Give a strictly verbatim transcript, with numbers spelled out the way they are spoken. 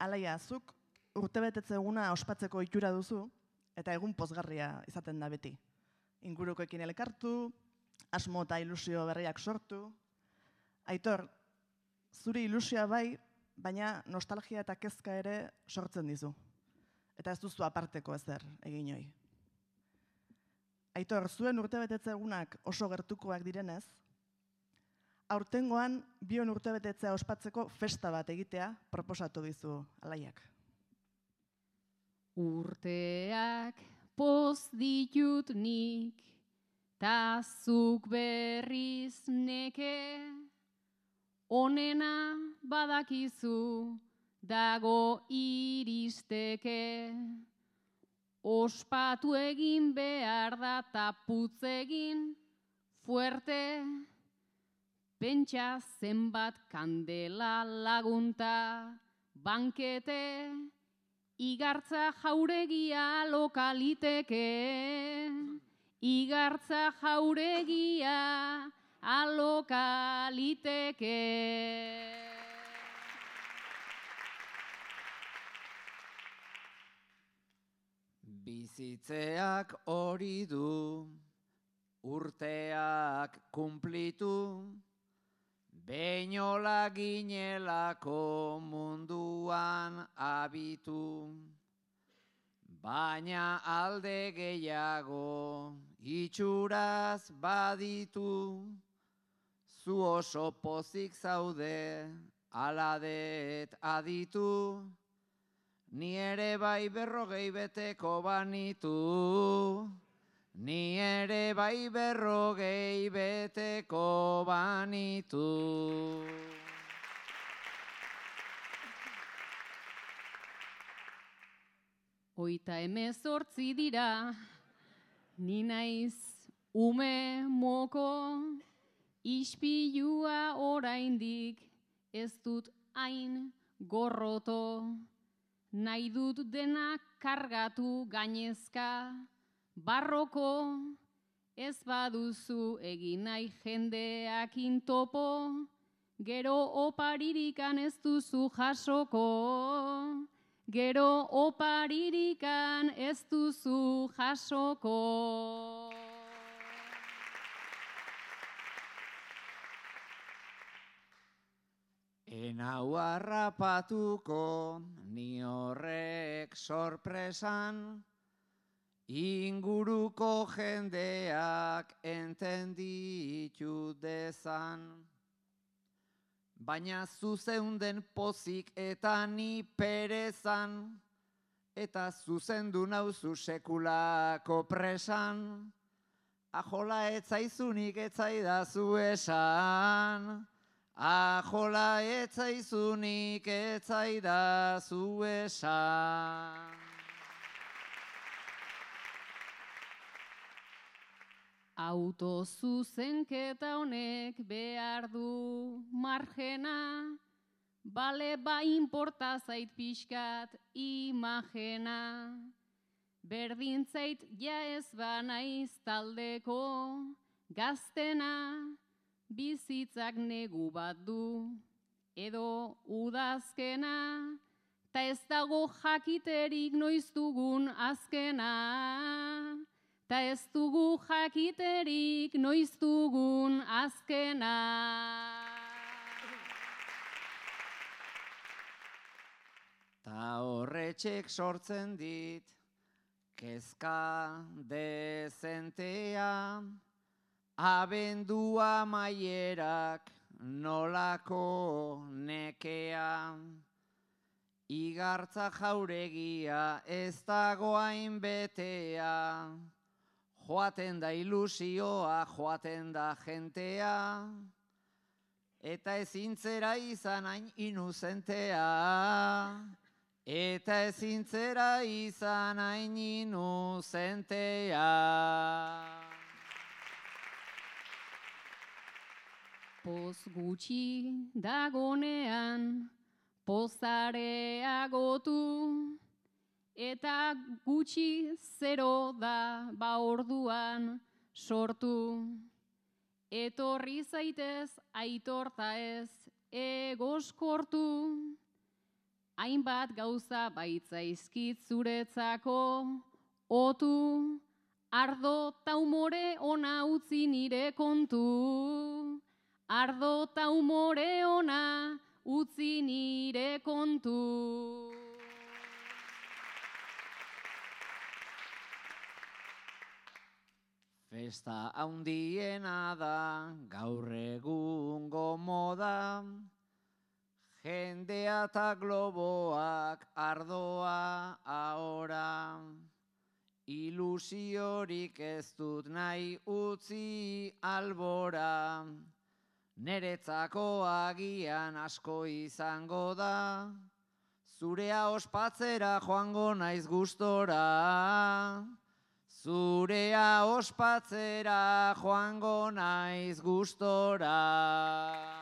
Alaia, zuk urtebetetze eguna ospatzeko ohitura duzu, eta egun pozgarria izaten da beti. Ingurukoekin elkartu, asmo eta ilusio berriak sortu. Aitor, zuri ilusioa bai, baina nostalgia eta kezka ere sortzen dizu. Eta ez duzu aparteko ezer egin hoi. Aitor, zuen urtebetetze egunak oso gertukoak direnez, aurtengoan bion urtebetetzea ospatzeko festa bat egitea proposatu dizu Alaiak. Urteak poz ditut nik, ta zuk berriz neke, onena badakizu dago iristeke. Ospatu egin behar da ta putz egin fuerte, pentsa zenbat kandela lagunta bankete, igartza jauregia lokaliteke, igartza jauregia alokaliteke. Bizitzeak hori du, urteak kumplitu, beinola ginelako munduan abitu. Baina alde gehiago itxuraz baditu, zu oso pozik zaude, aladet aditu. Ni ere bai berrogei beteko banitu, ni ere bai berrogei beteko banitu. Hoita hemezortzi dira, ni naiz ume moko, ispilua oraindik ez dut hain gorroto. Nahi dut denak kargatu gainezka, barroko, ez baduzu egin nahi jendeakin topo, gero oparirikan ez duzu jasoko, gero oparirikan ez duzu jasoko. Enau harrapatuko ni horrek sorpresan, inguruko jendeak entenditu dezan. Baina zuzeunden pozik eta ni perezan, eta zuzendu nauzu sekulako presan, ajola etzaizunik etzaidazu esan. Ajola etzaizunik etzaidazu esan. Autozuzenketa honek behar du margena, bale ba inporta zait pixkat imagena. Berdin zait ja ez banaiz taldeko gaztena, bizitzak negu bat du, edo udazkena, ta ez dago jakiterik noiz dugun azkena, ta ez dugu jakiterik noiz dugun azkena. Ta horretxek sortzen dit, kezka dezentea, abendua maierak nolako nekea. Igartza jauregia ez dago hain betea, joaten da ilusioa, joaten da jentea, eta ezintzera izan hain inuzentea, eta ezintzera izan hain inuzentea. Poz gutxi dagonean, pozareagotu, eta gutxi zero da ba orduan sortu. Etorri zaitez aitorta ez egoskortu, hainbat gauza baitzaizkit zuretzako, otu, ardo ta umore ona utzi nire kontu. Ardo ta umore ona utzi nire kontu. Festa handiena da, gaur egungo moda, jendea eta globoak ardoa ahora. Ilusiorik ez dut nahi utzi albora, neretzako agian asko izango da, zurea ospatzera joango naiz gustora. Zurea ospatzera joango naiz gustora.